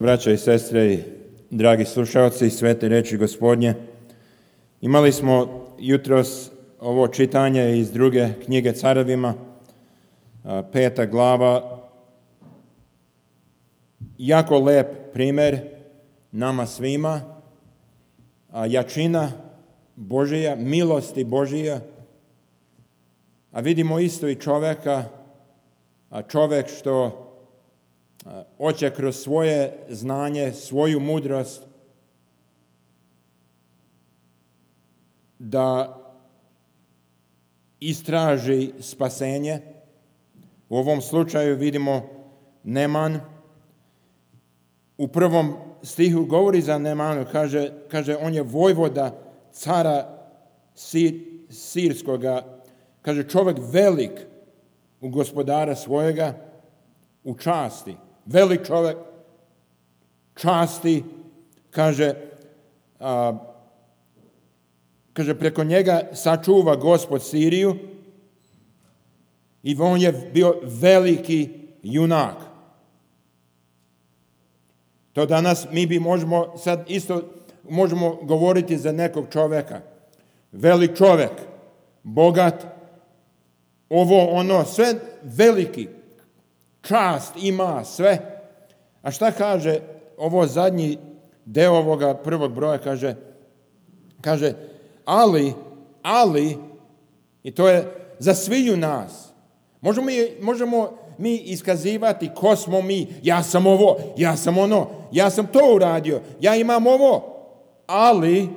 Braćo i sestre i dragi slušalci svete riječi Gospodnje, imali smo jutros ovo čitanje iz druge knjige Carevima, 5. glava. Jako lep primjer nama svima, jačina Božija, milosti Božija, a vidimo isto i čovjeka, čovjek što hoće kroz svoje znanje, svoju mudrost da istraži spasenje. U ovom slučaju vidimo Neman. U prvom stihu govori za Nemanu, kaže on je vojvoda cara Sirskoga, kaže čovjek velik u gospodara svojega, u časti. Velik čovjek, časti, kaže preko njega sačuva Gospod Siriju i on je bio veliki junak. To danas mi možemo sad isto možemo govoriti za nekog čovjeka. Velik čovjek, bogat, ovo, ono, sve veliki. Čast ima sve. A šta kaže ovo zadnji deo ovoga prvog broja? Kaže ali, i to je za sviju nas. Možemo mi iskazivati ko smo mi. Ja sam ovo, ja sam ono, ja sam to uradio, ja imam ovo. Ali,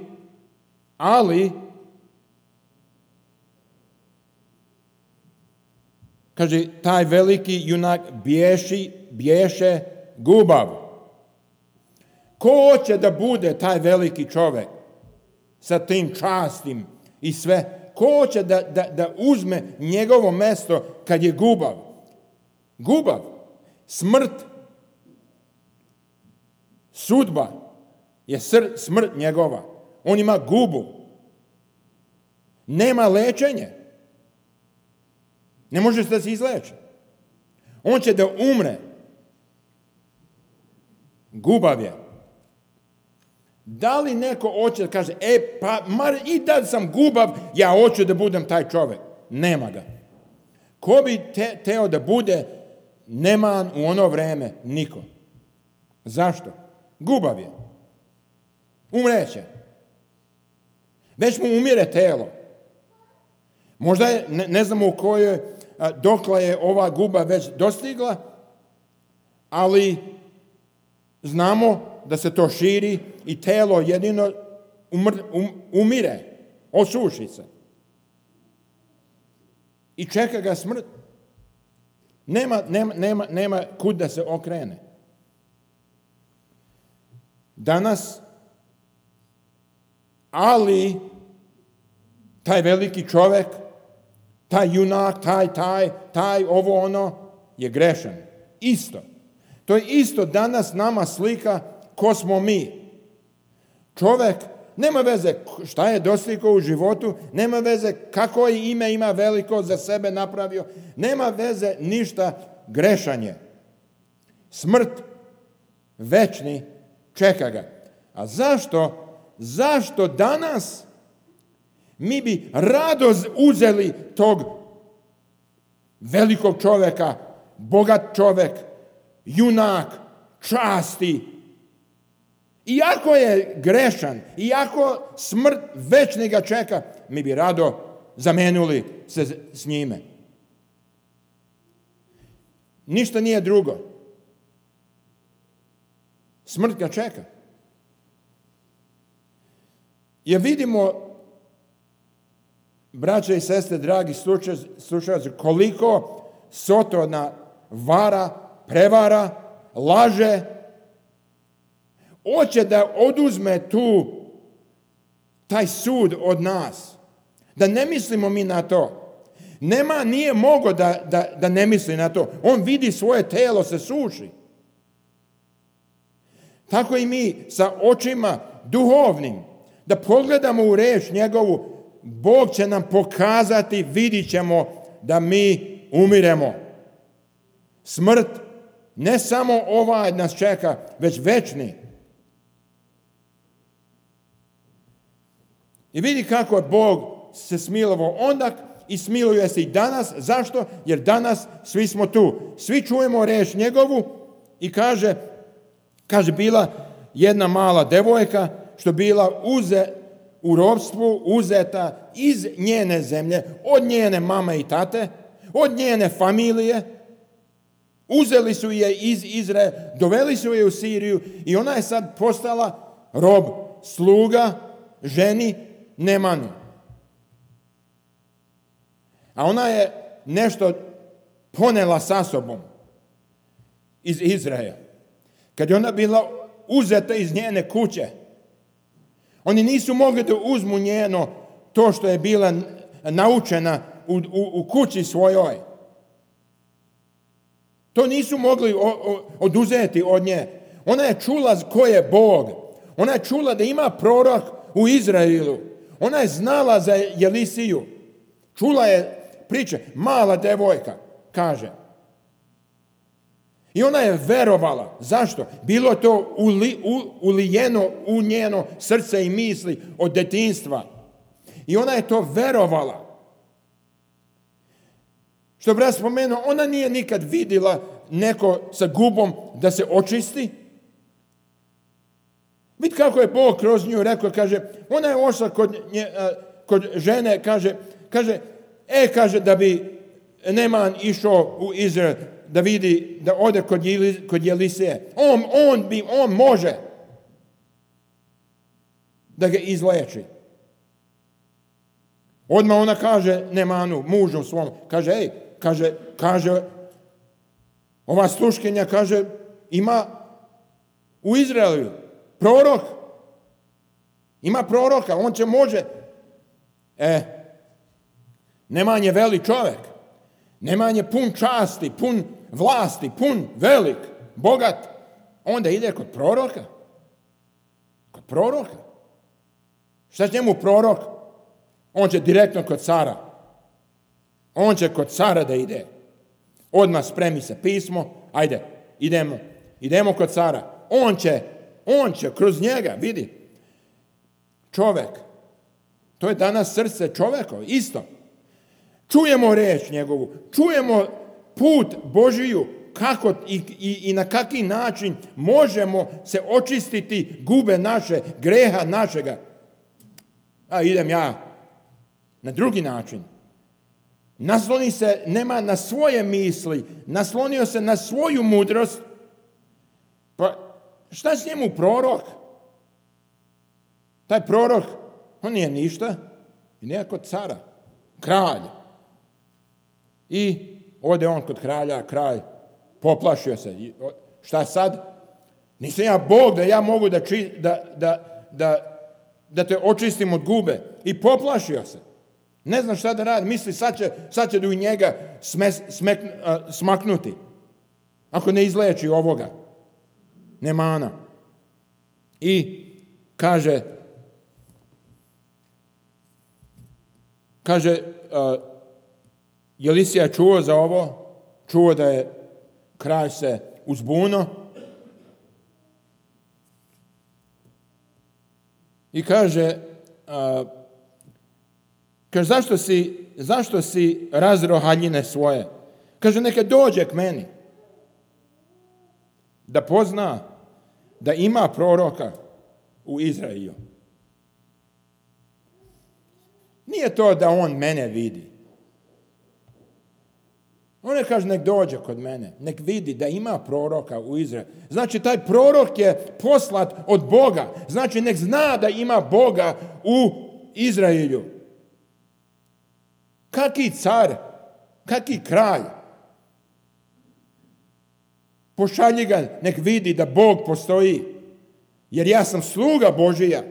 kaže, taj veliki junak biješe gubav. Ko hoće da bude taj veliki čovjek sa tim častim i sve? Ko hoće da uzme njegovo mjesto kad je gubav? Gubav, smrt, sudba je smrt njegova. On ima gubu. Nema lečenja. Ne može da se izleči. On će da umre. Gubav je. Da li neko hoće da kaže, i da sam gubav, ja hoću da budem taj čovjek. Nema ga. Ko bi teo da bude Neman u ono vreme? Niko. Zašto? Gubav je. Umreće. Već mu umire telo. Možda je, ne znamo u kojoj, dokle je ova guba već dostigla, ali znamo da se to širi i telo jedino umire, osuši se. I čeka ga smrt. Nema kud da se okrene. Danas, ali taj veliki čovjek, taj junak, taj ovo ono je grešan. Isto. To je isto danas nama slika ko smo mi. Čovjek nema veze šta je dostigao u životu, nema veze kako je ime ima veliko za sebe napravio, nema veze ništa, grešanje. Smrt večni čeka ga. A zašto danas mi bi rado uzeli tog velikog čovjeka, bogat čovjek, junak, časti. Iako je grešan, iako smrt večni ga čeka, mi bi rado zamenuli se s njime. Ništa nije drugo. Smrt ga čeka. Jer vidimo, braće i sestre, dragi slušalci, koliko Sotona vara, prevara, laže, hoće da oduzme taj sud od nas. Da ne mislimo mi na to. Nije mogao da ne misli na to. On vidi svoje telo se suši. Tako i mi sa očima duhovnim, da pogledamo u riječ njegovu, Bog će nam pokazati, vidit ćemo da mi umiremo. Smrt Ne samo ovaj nas čeka, već večni. I vidi kako je Bog se smilovao onda i smiluje se i danas. Zašto? Jer danas svi smo tu. Svi čujemo riječ njegovu i kaže bila jedna mala devojka što bila u ropstvu, uzeta iz njene zemlje, od njene mame i tate, od njene familije. Uzeli su je iz Izraela, doveli su je u Siriju i ona je sad postala rob, sluga, ženi Nemanu. A ona je nešto ponela sa sobom iz Izraela. Kad je ona bila uzeta iz njene kuće, oni nisu mogli da uzmu njeno to što je bila naučena u kući svojoj. To nisu mogli oduzeti od nje. Ona je čula ko je Bog. Ona je čula da ima prorok u Izraelu. Ona je znala za Jelisiju. Čula je priče. Mala devojka, kaže. I ona je verovala. Zašto? Bilo to ulijeno u njeno srce i misli od detinjstva. I ona je to verovala. Što brat spomenuo, ona nije nikad vidjela neko sa gubom da se očisti. Vidite kako je Bog kroz nju rekao, kaže, ona je ošla kod žene, kaže da bi Neman išao u Izrael, da vidi, da ode kod Jelisije. On može da ga izleči. Odmah ona kaže Nemanu, mužu svom, kaže, ova sluškinja, kaže, ima u Izraelu prorok. Ima proroka, on će može. Neman je velik čovjek. Neman je pun časti, pun vlasti, pun velik, bogat. Onda ide kod proroka. Kod proroka. Šta će njemu prorok? On će direktno kod cara. On će kod cara da ide. Odmah spremi se pismo. Ajde, idemo kod cara. On će kroz njega, vidi. Čovjek. To je danas srce čovjeka, isto. Čujemo riječ njegovu. Čujemo put Božiju. Kako i na kaki način možemo se očistiti gube naše, greha našega. A idem ja na drugi način. Nasloni se nema na svoje misli, naslonio se na svoju mudrost. Pa šta s njemu prorok? Taj prorok, on nije ništa. I nije kod cara, kralj. I ode on kod kralja, kralj poplašio se. Šta sad? Nisam ja Bog da ja mogu da te očistim od gube. I poplašio se. Ne znam šta da radi. Misli sad će da u njega smaknuti. Ako ne izleči ovoga. Nemana. I kaže Jelisija čuo za ovo. Čuo da je kralj se uzbuno. I kaže zašto si razro haljine svoje? Kaže, neka dođe k meni. Da pozna da ima proroka u Izraelu. Nije to da on mene vidi. On ne kaže, nek dođe kod mene. Nek vidi da ima proroka u Izraelu. Znači, taj prorok je poslat od Boga. Znači, nek zna da ima Boga u Izraelu. Kaki car, kaki kralj. Pošalji ga, nek vidi da Bog postoji. Jer ja sam sluga Božija.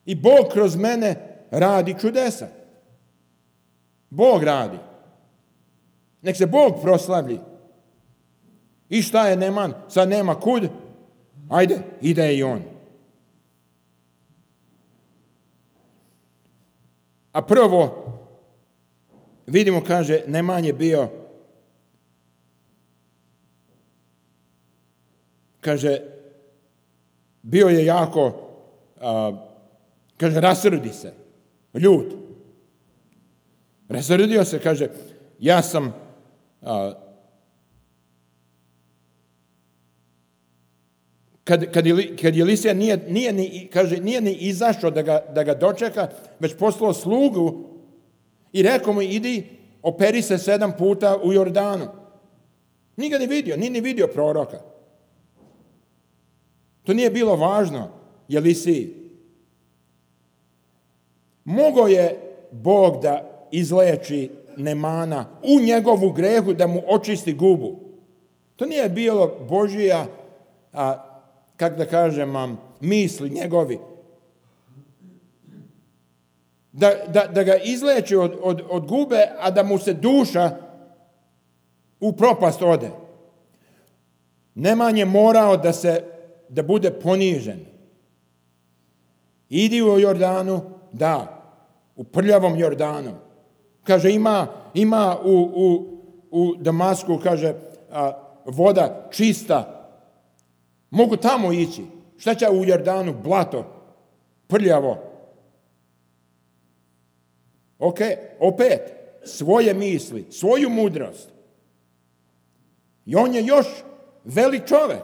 I Bog kroz mene radi čudesa. Bog radi. Nek se Bog proslavlji. I šta je Neman? Sad nema kud? Ajde, ide i on. A prvo, vidimo, kaže, Neman je bio kaže, bio je jako, kaže, rasrdi se, ljut. Rasrdio se, kaže, ja sam, kad Elisija nije ni izašao da ga dočeka, već poslao slugu i rekao mu, idi, operi se 7 puta u Jordanu. Nije ga ni vidio proroka. To nije bilo važno Elisiji. Mogao je Bog da izleči Nemana u njegovu grehu, da mu očisti gubu. To nije bilo Božija, kako da kažem, misli njegovi. Da ga izleči od gube, a da mu se duša u propast ode. Neman je morao da bude ponižen. Idi u Jordanu, da, u prljavom Jordanu. Kaže, ima u Damasku, kaže, voda čista. Mogu tamo ići. Šta će u Jordanu? Blato, prljavo. Ok, opet, svoje misli, svoju mudrost. I on je još velik čovjek.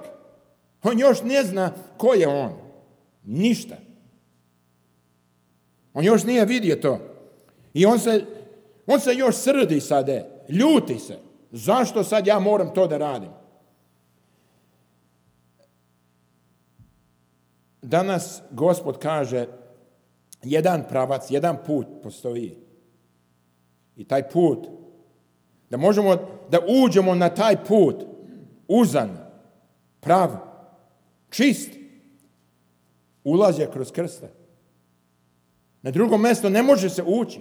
On još ne zna ko je on. Ništa. On još nije vidio to. I on se još srdi sada. Ljuti se. Zašto sad ja moram to da radim? Danas Gospod kaže, jedan pravac, jedan put postoji. I taj put, da možemo da uđemo na taj put, uzan, prav, čist, ulaz je kroz krsta. Na drugo mjesto ne može se ući,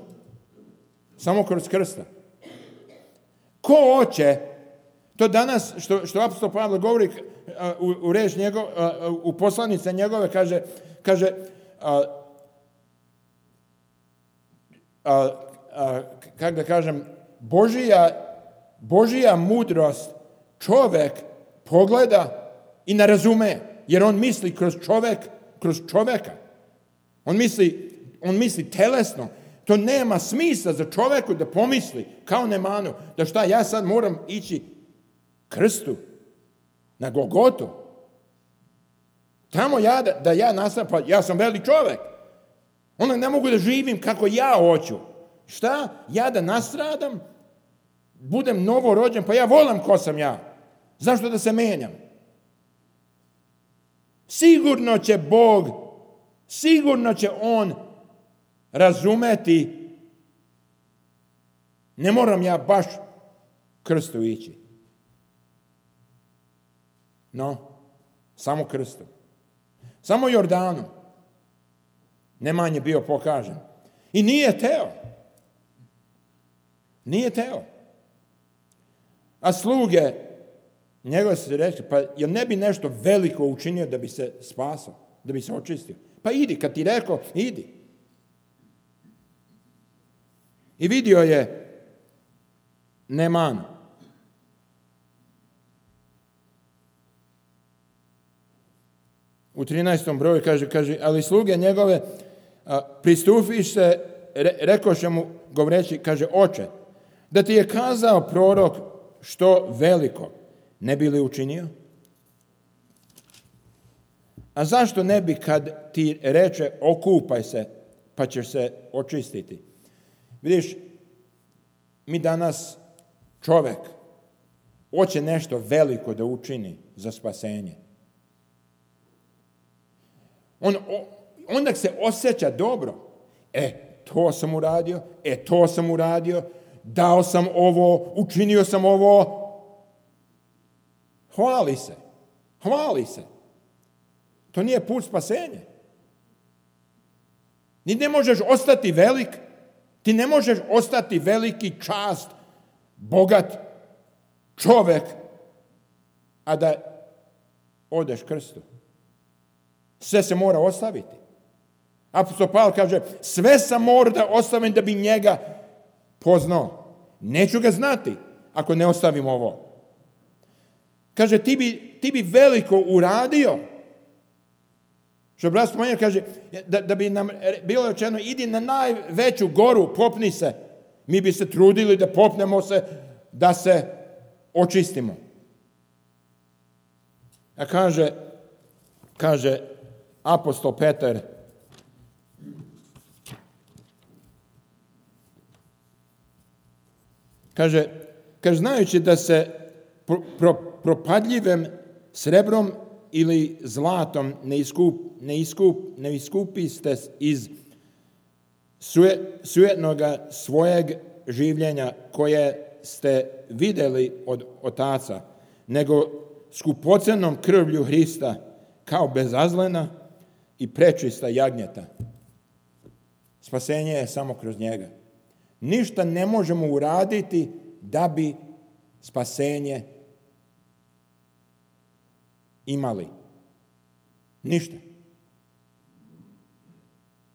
samo kroz krsta. Ko hoće, to danas što apostol Pavle govori u reč njegov, u poslanice njegove, kaže kako da kažem, Božija mudrost čovjek pogleda i ne razume, jer on misli kroz čovjeka. On misli telesno. To nema smisla za čovjeku da pomisli, kao Nemanu, da šta, ja sad moram ići krstu, na Golgotu. Tamo da ja nastavim, pa ja sam velik čovjek. Onda ne mogu da živim kako ja hoću. Šta? Ja da nastradam, budem novorođen, pa ja volim ko sam ja. Zašto da se menjam? Sigurno će Bog, sigurno će On razumeti. Ne moram ja baš krstu ići. No, samo krstom. Samo Jordanom. Neman je bio pokažen. I nije teo. Nije teo. A sluge njegove su rekli, pa jel ne bi nešto veliko učinio da bi se spasao, da bi se očistio? Pa idi, kad ti rekao, idi. I vidio je Neman. U 13. broju kaže, ali sluge njegove pristupiš se, rekoše mu govoreći, kaže, oče, da ti je kazao prorok što veliko, ne bi li učinio? A zašto ne bi kad ti reče okupaj se, pa ćeš se očistiti? Vidiš, mi danas čovjek hoće nešto veliko da učini za spasenje. Onda se osjeća dobro. To sam uradio, dao sam ovo, učinio sam ovo. Hvali se. To nije put spasenja. Ni ne možeš ostati velik, ti ne možeš ostati veliki, čast, bogat čovjek, a da odeš krstu. Sve se mora ostaviti. Apostol Pavle kaže, sve sam mora da ostavim da bi njega poznao. Neću ga znati ako ne ostavim ovo. Kaže, ti bi veliko uradio. Što brat spomenuo, kaže, da bi nam bilo rečeno, idi na najveću goru, popni se. Mi bi se trudili da popnemo se, da se očistimo. A kaže apostol Petar, kaže, znajući da se propadljivim srebrom ili zlatom ne iskupiste iz sujetnoga svojeg življenja koje ste vidjeli od otaca, nego skupocenom krvlju Hrista kao bezazlena i prečista jagnjeta. Spasenje je samo kroz njega. Ništa ne možemo uraditi da bi spasenje imali. Ništa.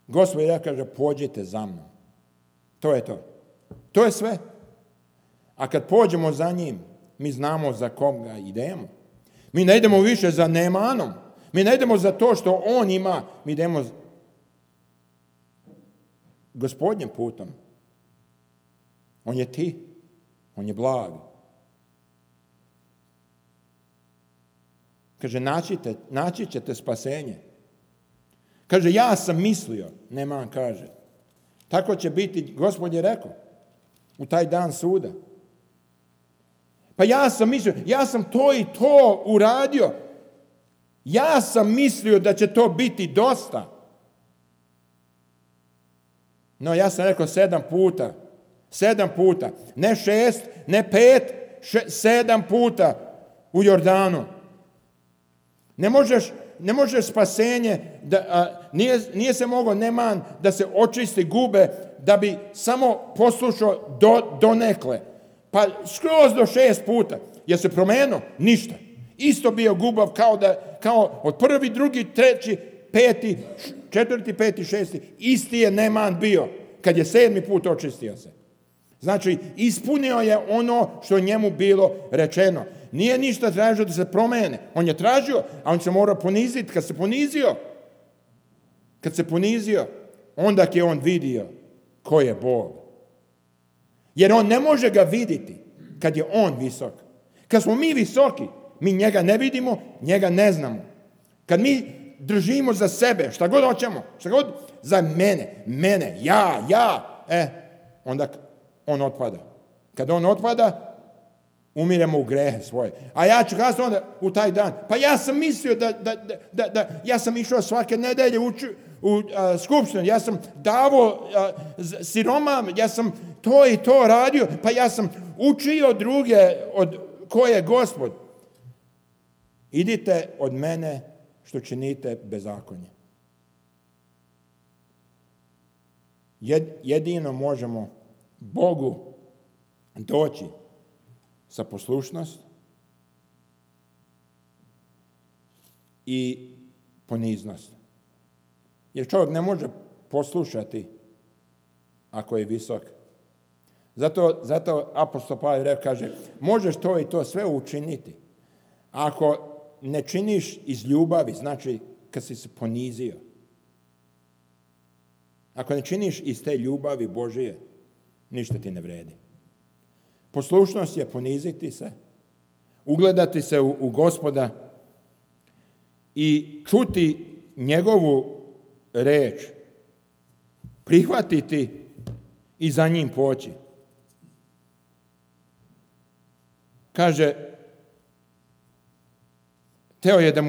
Gospod ja kaže, pođite za mnom. To je to. To je sve. A kad pođemo za njim, mi znamo za koga idemo. Mi ne idemo više za Nemanom. Mi ne idemo za to što on ima. Mi idemo Gospodnjim putom. On je ti. On je blag. Kaže, naći ćete spasenje. Kaže, ja sam mislio, Neman kaže. Tako će biti, Gospod je rekao, u taj dan suda. Pa ja sam mislio, ja sam to i to uradio. Ja sam mislio da će to biti dosta. No, ja sam rekao 7 puta. 7 puta. Ne 6, ne 5, 7 puta u Jordanu. Ne možeš spasenje, nije se mogao Neman da se očisti gube, da bi samo poslušao donekle. Pa skroz do 6 puta. Je se promenio? Ništa. Isto bio gubav kao od 1., 2., 3., 5., 4., 5., 6. Isti je Neman bio kad je 7. put očistio se. Znači, ispunio je ono što njemu bilo rečeno. Nije ništa tražio da se promene. On je tražio, a on se mora poniziti. Kad se ponizio, onda je on vidio ko je Bog. Jer on ne može ga vidjeti kad je on visok. Kad smo mi visoki, mi njega ne vidimo, njega ne znamo. Kad mi držimo za sebe, šta god hoćemo, šta god za mene, ja, onda on otpada. Kad on otpada, umiremo u grehe svoje. A ja ću kazati onda u taj dan, pa ja sam mislio da ja sam išao svake nedelje u skupštinu, ja sam davao siroma, ja sam to i to radio, pa ja sam učio druge od ko je Gospod. Idite od mene što činite bezakonje. Jedino možemo Bogu doći sa poslušnost i poniznost. Jer čovjek ne može poslušati ako je visok. Zato apostol Pavle kaže, možeš to i to sve učiniti. Ako ne činiš iz ljubavi, znači kad si se ponizio. Ako ne činiš iz te ljubavi Božije, ništa ti ne vredi. Poslušnost je poniziti se, ugledati se u Gospoda i čuti njegovu reč, prihvatiti i za njim poći. Kaže, hteo je da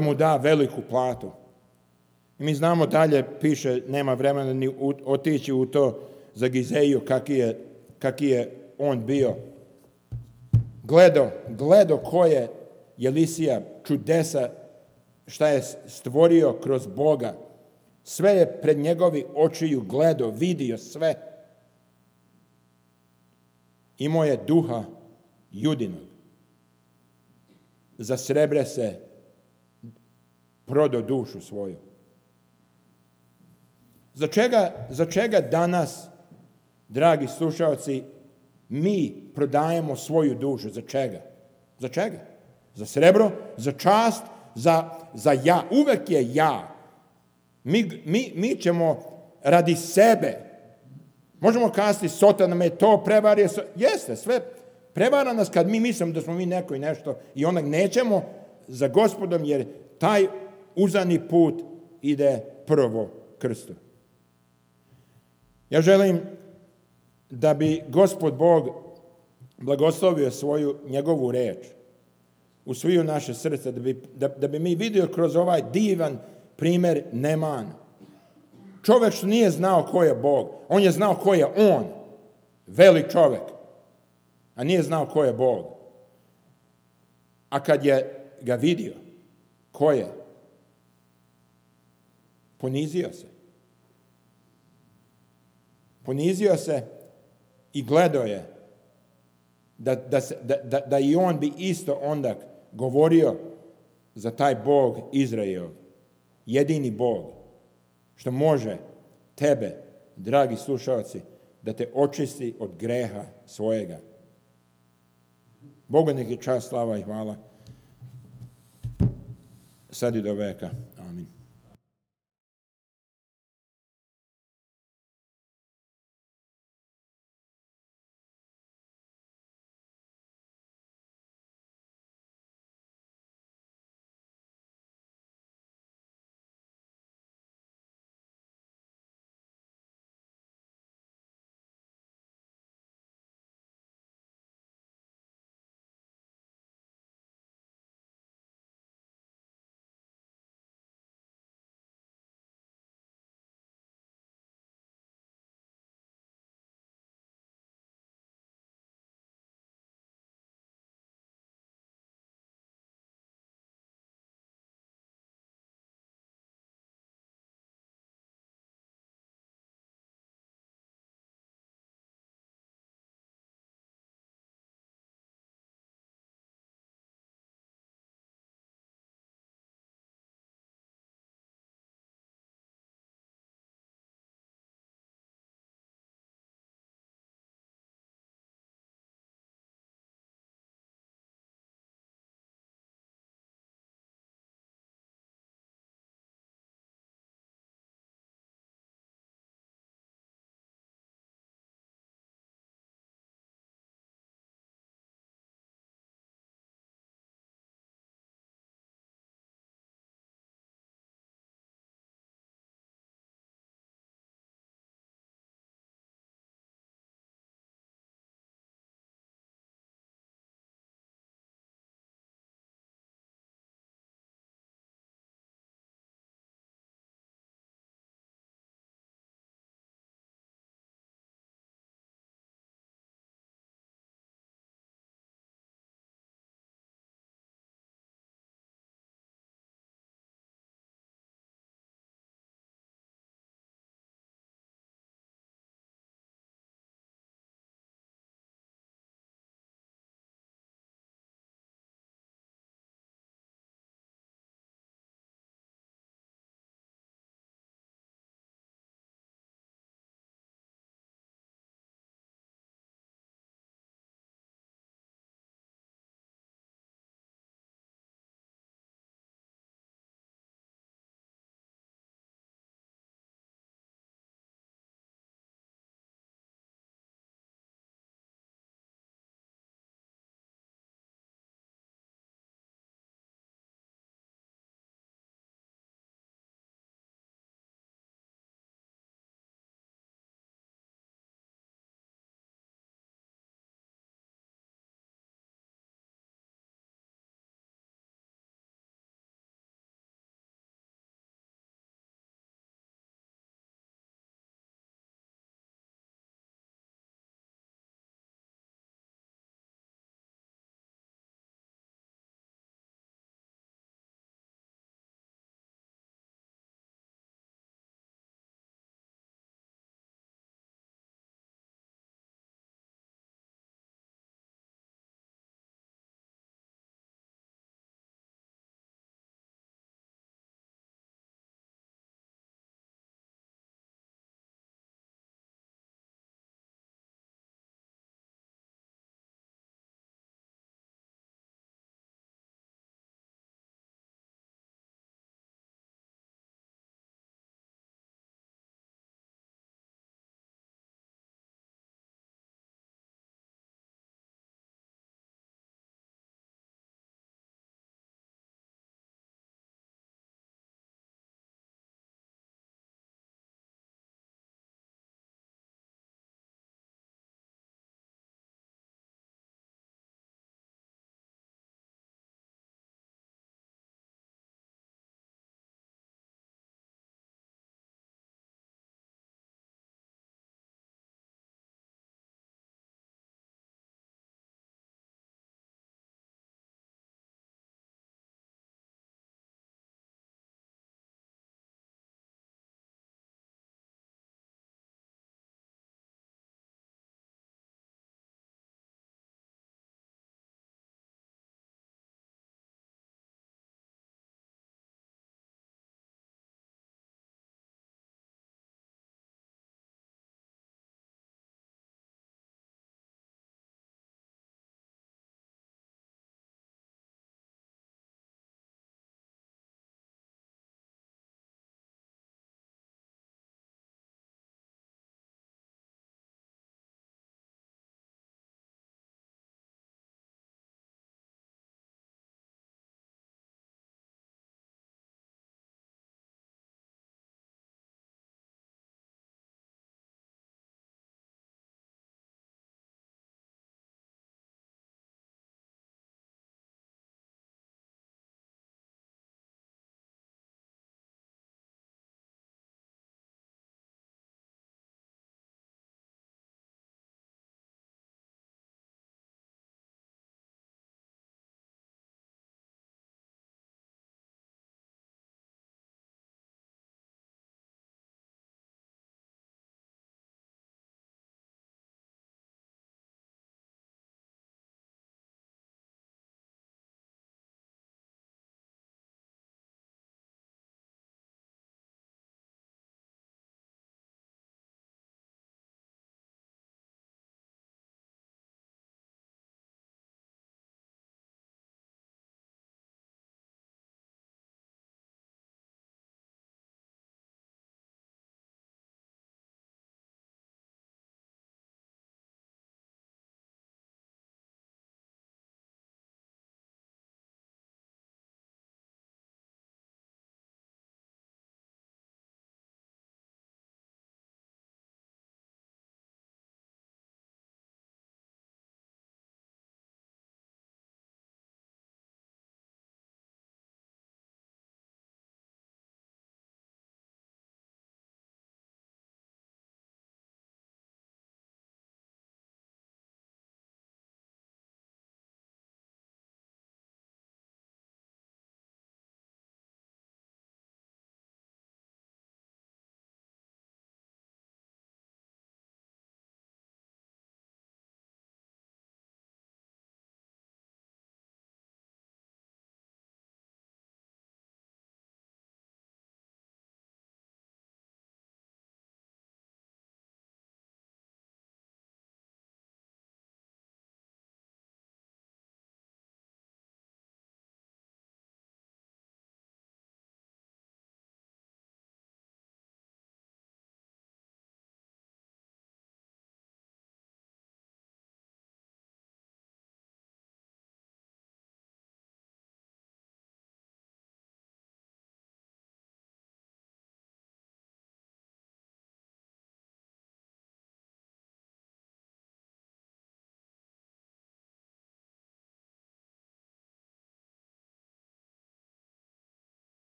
mu da veliku platu. I mi znamo dalje, piše, nema vremena ni otići u to za Gizeju, kaki je on bio. Gledo koje je Elisija čudesa, šta je stvorio kroz Boga. Sve je pred njegovi očiju gledo, vidio sve. Imao je duha judinog. Za srebre se prodao dušu svoju. Za čega danas dragi slušalci, mi prodajemo svoju dušu. Za čega? Za čega? Za srebro, za čast, za ja. Uvek je ja. Mi ćemo radi sebe. Možemo kazati, Sotana me to prevario. Jeste, sve prevara nas kad mi mislimo da smo mi neko i nešto i onak nećemo za Gospodom, jer taj uzani put ide prvo krstu. Ja želim da bi Gospod Bog blagoslovio njegovu reč u sviju naše srce, da bi mi vidio kroz ovaj divan primjer Neman. Čovjek što nije znao ko je Bog, on je znao ko je on, velik čovjek, a nije znao ko je Bog. A kad je ga vidio, ko je, ponizio se. Ponizio se i gledao je da i on bi isto onda govorio za taj Bog Izrael, jedini Bog, što može tebe, dragi slušalci, da te očisti od greha svojega. Bogu nek je čast, slava i hvala, sad i do veka.